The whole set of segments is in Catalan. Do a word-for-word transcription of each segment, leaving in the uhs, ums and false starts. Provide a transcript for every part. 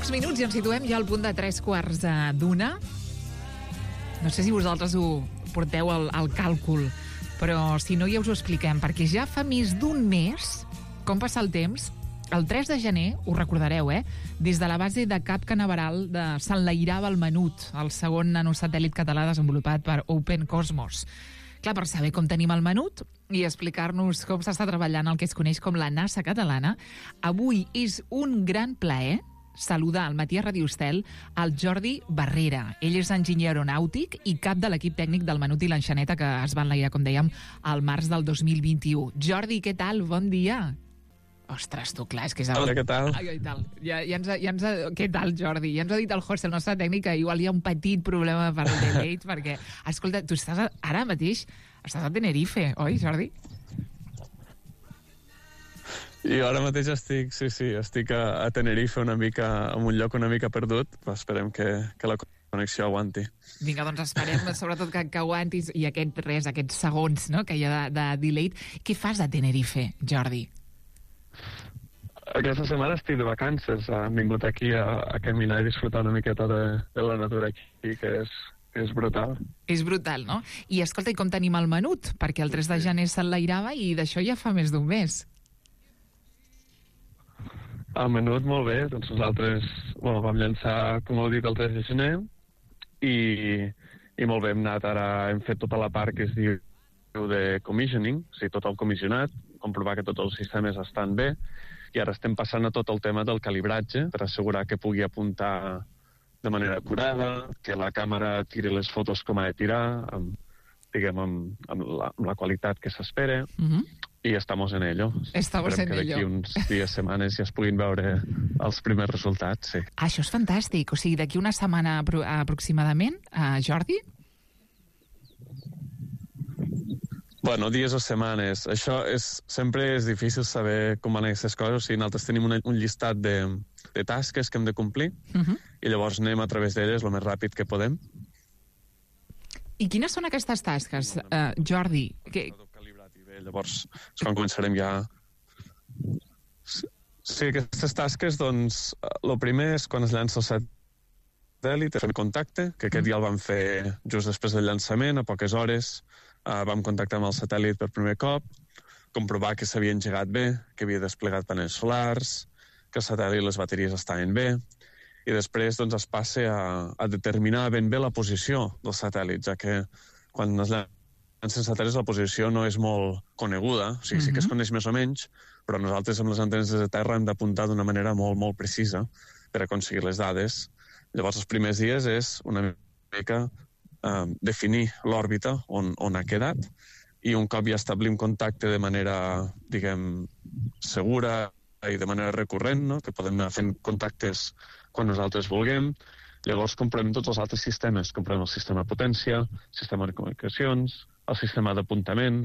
pocs minuts i ens situem ja al punt de tres quarts d'una. No sé si vosaltres ho porteu al, al càlcul, però si no ja us ho expliquem, perquè ja fa més d'un mes, com passa el temps, el tres de gener, ho recordareu, eh? Des de la base de Cap Canaveral de s'enlairava el Menut, el segon nanosatèl·lit català desenvolupat per Open Cosmos. Clar, per saber com tenim el Menut i explicar-nos com s'està treballant el que es coneix com la NASA catalana, avui és un gran plaer saludar al matí a Ràdio Estel el Jordi Barrera. Ell és enginyer aeronàutic i cap de l'equip tècnic del Menut i l'Enxaneta, que es va enlairar, com dèiem, al març del dos mil vint-i-u. Jordi, què tal? Bon dia. Ostres, tu, clar, és que és... El... Hola, què tal? Ai, ai, tal. Ja, ja ens ha, ja ens ha... Què tal, Jordi? Ja ens ha dit el José, el nostre tècnic, que igual hi ha un petit problema per el delay, perquè, escolta, tu estàs a... ara mateix estàs a Tenerife, oi, Jordi? I ara mateix estic, sí, sí, estic a, a Tenerife una mica, en un lloc una mica perdut, però esperem que, que la connexió aguanti. Vinga, doncs esperem sobretot que, que aguantis i aquest res, aquests segons, no?, que hi ha de, de delay. Què fas a Tenerife, Jordi? Aquesta setmana estic de vacances, hem vingut aquí a, a caminar i disfrutar una miqueta de, de la natura aquí, que és, és brutal. És brutal, no? I escolta, i com tenim el Menut? Perquè el tres de gener s'enlairava i d'això ja fa més d'un mes. El Menut, molt bé, doncs nosaltres bueno, vam llançar, com heu dit, el tres de gener i, i molt bé, hem anat ara, hem fet tota la part que es diu de commissioning, o sigui, tot el comissionat, comprovar que tots els sistemes estan bé, i ara estem passant a tot el tema del calibratge per assegurar que pugui apuntar de manera acurada, que la càmera tiri les fotos com ha de tirar, amb, diguem, amb, amb, la, amb la qualitat que s'espera, uh-huh. I estamos en ello. Estamos Esperem en que d'aquí ello. uns dies, setmanes, ja es puguin veure els primers resultats, sí. Ah, això és fantàstic. O sigui, d'aquí una setmana apro aproximadament, uh, Jordi? Bueno, dies o setmanes. Això és, sempre és difícil saber com van aquestes coses. O sigui, nosaltres tenim una, un llistat de, de tasques que hem de complir uh-huh. i llavors anem a través d'elles el més ràpid que podem. I quines són aquestes tasques, uh, Jordi? Que... Llavors és quan començarem ja... Sí, aquestes tasques, doncs, el primer és quan es llança el satèl·lit, fem contacte, que aquest ja el vam fer just després del llançament, a poques hores, uh, vam contactar amb el satèl·lit per primer cop, comprovar que s'havia engegat bé, que havia desplegat panells solars, que el satèl·lit i les bateries estaven bé, i després doncs, es passa a, a determinar ben bé la posició del satèl·lit, ja que quan es llança sense satèl·lits la posició no és molt coneguda, o sigui, uh-huh. sí que es coneix més o menys, però nosaltres amb les antenes de terra hem d'apuntar d'una manera molt, molt precisa per aconseguir les dades. Llavors, els primers dies és una mica eh, definir l'òrbita on, on ha quedat i un cop ja establim contacte de manera, diguem, segura i de manera recurrent, no? Que podem anar fent contactes quan nosaltres vulguem. Llavors comprem tots els altres sistemes. Comprem el sistema de potència, el sistema de comunicacions, el sistema d'apuntament,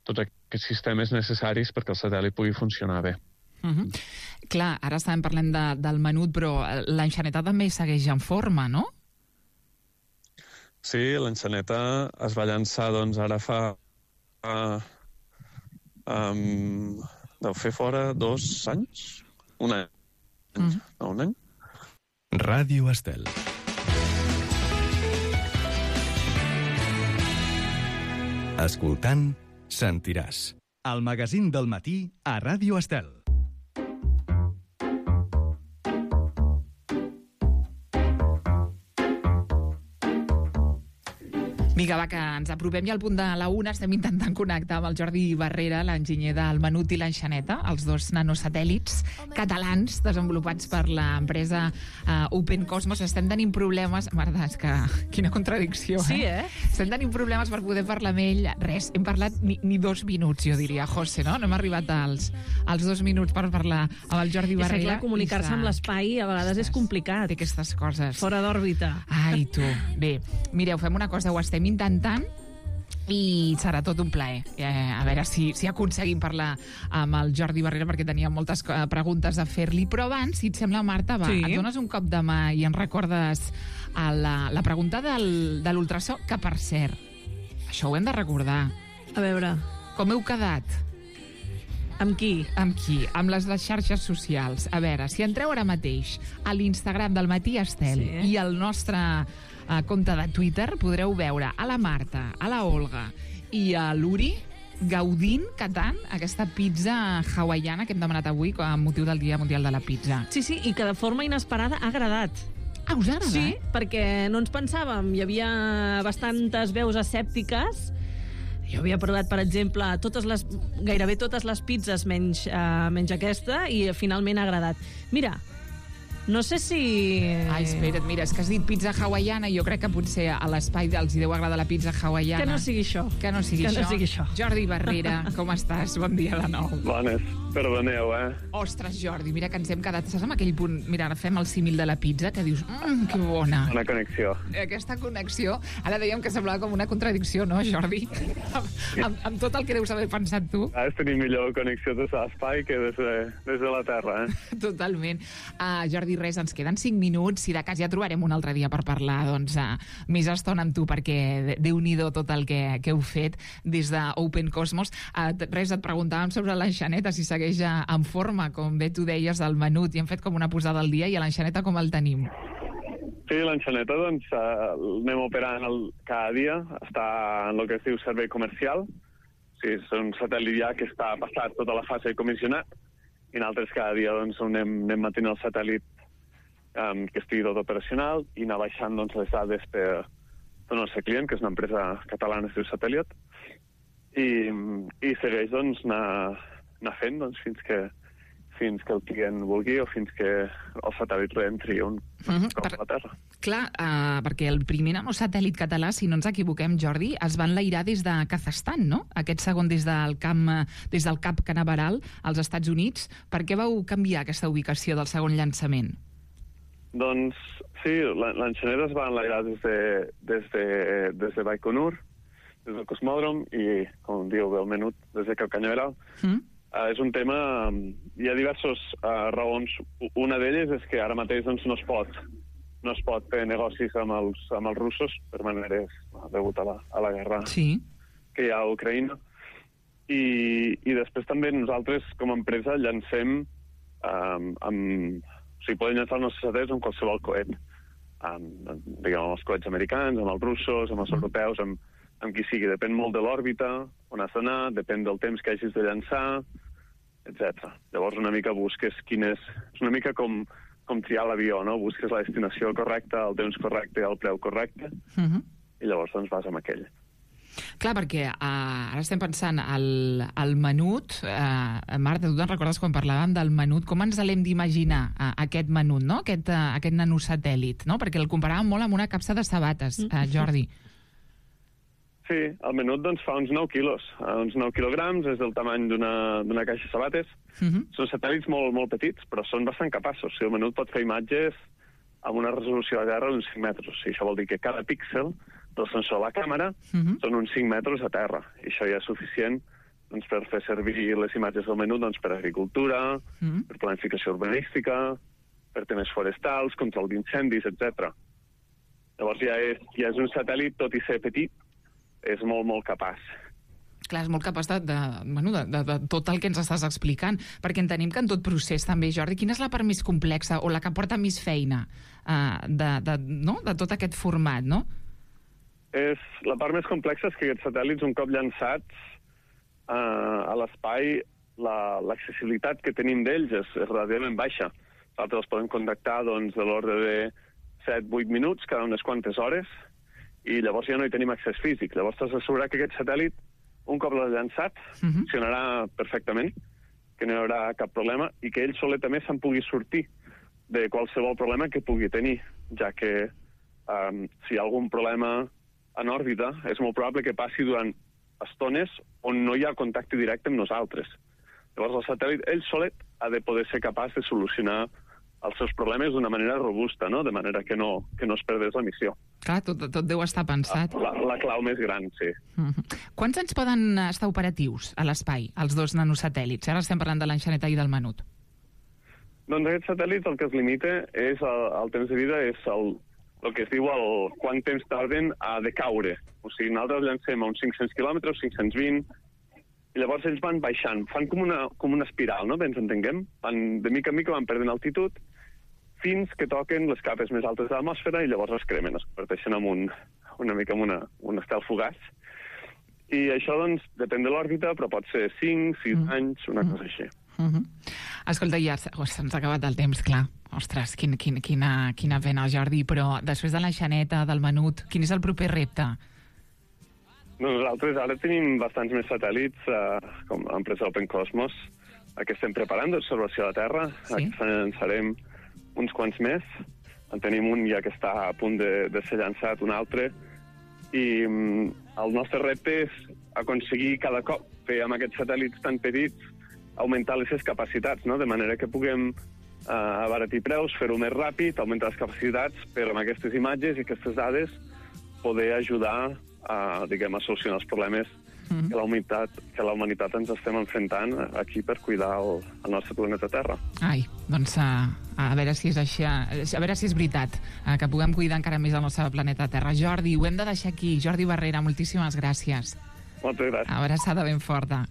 tots aquests sistemes necessaris perquè el satèl·lit pugui funcionar bé. Uh-huh. Clar, ara estàvem parlant de, del Menut, però l'Enxaneta també segueix en forma, no? Sí, l'Enxaneta es va llançar, doncs, ara fa... Uh, um, deu fer fora dos anys? Un any. Uh-huh. No, un any? Ràdio Estel. Escoltant, sentiràs. El magazín del matí a Ràdio Estel. Vinga, va, que ens apropem ja al punt de la una. Estem intentant connectar amb el Jordi Barrera, l'enginyer del Menut i l'Enxaneta, els dos nanosatèl·lits catalans desenvolupats per l'empresa uh, Open Cosmos. Estem tenint problemes... Merda, és que... Quina contradicció, eh? Sí, eh? Estem tenint problemes per poder parlar amb ell. Res, hem parlat ni, ni dos minuts, jo diria, José, no? No hem arribat als, als dos minuts per parlar amb el Jordi Barrera. És que, clar, comunicar-se amb l'espai a vegades és complicat. Té aquestes coses. Fora d'òrbita. Ai, tu. Bé, mireu, fem una cosa, ho estem intentant i serà tot un plaer. Eh, a veure si, si aconseguim parlar amb el Jordi Barrera, perquè tenia moltes preguntes a fer-li. Però abans, si et sembla, Marta, va, sí. Et dones un cop de mà i ens recordes a la, la pregunta del, de l'ultrasò, que, per cert, això ho hem de recordar. A veure... Com heu quedat? Amb qui? Amb qui? Amb les, les xarxes socials. A veure, si entreu ara mateix a l'Instagram del Matí Estel Sí. i al nostre uh, compte de Twitter, podreu veure a la Marta, a la Olga i a l'Uri gaudint, catant, aquesta pizza hawaiana que hem demanat avui amb motiu del Dia Mundial de la Pizza. Sí, sí, i que de forma inesperada ha agradat. Ah, us ha agradat? Sí, perquè no ens pensàvem. Hi havia bastantes veus escèptiques. Jo havia provat, per exemple, totes les, gairebé totes les pizzas menys, uh, menys aquesta, i finalment ha agradat. Mira, no sé si... Ai, espera't, mira, és que has dit pizza hawaiana i jo crec que potser a l'espai els hi deu agradar la pizza hawaiana. Que no sigui això. Que no sigui, Que això. no sigui això. Jordi Barrera, com estàs? Bon dia de nou. Bones, perdoneu, eh? Ostres, Jordi, mira que ens hem quedat... Saps amb aquell punt... Mira, ara fem el símil de la pizza, que dius, mmm, que bona. Una connexió. Aquesta connexió, ara dèiem que semblava com una contradicció, no, Jordi? amb, amb, amb tot el que deus haver pensat tu. Ara tenim millor connexió des de l'espai que des de, des de la Terra, eh? Totalment. Uh, Jordi, res, ens queden cinc minuts. Si de cas ja trobarem un altre dia per parlar doncs, uh, més estona amb tu, perquè Déu-n'hi-do tot el que, que heu fet des d'Open Cosmos. Uh, res, et preguntàvem sobre l'enxaneta, si segueix uh, en forma, com bé tu deies, del menut, i hem fet com una posada al dia, i a l'enxaneta com el tenim? Sí, l'enxaneta, doncs, uh, anem operant el, cada dia. Està en el que es diu servei comercial. Sí, és un satèl·lit ja que està passat tota la fase de comissionat, i nosaltres cada dia doncs, anem, anem mantenint el satèl·lit um, que estigui tot operacional i anar baixant doncs, les dades per el nostre client, que és una empresa catalana que es diu Satèl·lit, i, i segueix doncs, anar, anar fent doncs, fins que fins que el client vulgui o fins que el satèl·lit reentri un Mhm, cop per- a la Terra. Clar, uh, perquè el primer nanosatèl·lit català, si no ens equivoquem, Jordi, es va enlairar des de Kazakhstan, no? Aquest segon des del camp, eh, des del Cap Canaveral als Estats Units. Per què vau canviar aquesta ubicació del segon llançament? Doncs sí, la- l'enxaneta es va enlairar des de, des de, des de Baikonur, des del cosmòdrom i, com diu bé el menut, des de Cap Canaveral. Mm? Uh, és un tema... um, Hi ha diverses uh, raons. Una d'elles és que ara mateix doncs, no es pot no es pot fer negocis amb els, amb els russos per maneres degut a la, a la guerra Sí. que hi ha a Ucraïna. I, i després també nosaltres, com a empresa, llancem um, amb... O sigui, podem llançar els nostres satèl·lits amb qualsevol coet. Amb, diguem, amb els coets americans, amb els russos, amb els europeus, amb, amb qui sigui. Depèn molt de l'òrbita, on has d'anar, depèn del temps que hagis de llançar, etcètera. Llavors una mica busques quin és... És una mica com, com triar l'avió, no? Busques la destinació correcta, el temps correcte, el preu correcte, Mm -hmm. i llavors doncs vas amb aquell. Clar, perquè uh, ara estem pensant al, al menut. Uh, Marta, tu te'n recordes quan parlàvem del menut? Com ens l'hem d'imaginar, uh, aquest menut, no? Aquest, uh, aquest nanosatèl·lit, no? Perquè el comparàvem molt amb una capsa de sabates, uh, Jordi. Sí, el menut doncs, fa uns nou quilos, eh, uns nou quilograms, és del tamany d'una d'una caixa de sabates. Uh -huh. Són satèl·lits molt, molt petits, però són bastant capaços. O sigui, el menut pot fer imatges amb una resolució de terra d'uns cinc metres. O sigui, això vol dir que cada píxel del sensor de la càmera Uh -huh. són uns cinc metres a terra. I això ja és suficient doncs, per fer servir les imatges del menut doncs, per agricultura, Uh -huh. per planificació urbanística, per temes forestals, control d'incendis, etcètera. Llavors ja és, ja és un satèl·lit, tot i ser petit, és molt, molt capaç. Clar, és molt capaç de, de, bueno, de, de, de tot el que ens estàs explicant, perquè entenem que en tot procés també, Jordi, quina és la part més complexa o la que porta més feina uh, de, de, no? de tot aquest format, no? És, la part més complexa és que aquests satèl·lits, un cop llançats uh, a l'espai, la, l'accessibilitat que tenim d'ells és, és relativament baixa. Nosaltres els podem contactar doncs, de l'ordre de set a vuit minuts cada unes quantes hores, i llavors ja no hi tenim accés físic. Llavors t'has d'assegurar que aquest satèl·lit, un cop l'has llançat, Uh -huh. funcionarà perfectament, que no hi haurà cap problema, i que ell solet també se'n pugui sortir de qualsevol problema que pugui tenir, ja que um, si hi ha algun problema en òrbita, és molt probable que passi durant estones on no hi ha contacte directe amb nosaltres. Llavors el satèl·lit, ell solet, ha de poder ser capaç de solucionar els seus problemes d'una manera robusta, no? De manera que no, que no es perdés la missió. Clar, tot, tot deu estar pensat. La, la clau més gran, sí. Uh -huh. Quants anys poden estar operatius a l'espai, els dos nanosatèl·lits? Ara estem parlant de l'enxaneta i del menut. Doncs aquests satèl·lits el que es limita és el, el temps de vida, és el, el que es diu el quant temps tarden a decaure. O sigui, nosaltres llancem a uns cinc-cents quilòmetres, cinc-cents vint, i llavors ells van baixant, fan com una, com una espiral, no? Bé, ens entenguem? Van, de mica en mica van perdent altitud fins que toquen les capes més altes de l'atmosfera i llavors es cremen, es converteixen en un, una mica en una, un estel fugaç. I això, doncs, depèn de l'òrbita, però pot ser cinc, sis mm. anys, una mm. cosa així. Mm -hmm. Escolta, ja se'ns ha acabat el temps, clar. Ostres, quin, quin, quina, quina pena, Jordi, però després de la Xaneta, del Menut, quin és el proper repte? Nosaltres ara tenim bastants més satèl·lits, eh, com l'empresa Open Cosmos, que estem preparant d'observació de la Terra. Sí? Aquí llançarem uns quants més. En tenim un ja que està a punt de, de ser llançat, un altre. I mm, el nostre repte és aconseguir cada cop fer amb aquests satèl·lits tan petits augmentar les seves capacitats, no? De manera que puguem eh, abaratir preus, fer-ho més ràpid, augmentar les capacitats per amb aquestes imatges i aquestes dades poder ajudar a, diguem, a solucionar els problemes mm-hmm. que, la humanitat, que la humanitat ens estem enfrontant aquí per cuidar el, el nostre planeta Terra. Ai, doncs a, a veure si és així, a veure si és veritat, que puguem cuidar encara més el nostre planeta Terra. Jordi, ho hem de deixar aquí. Jordi Barrera, moltíssimes gràcies. Moltes gràcies. Abraçada ben forta.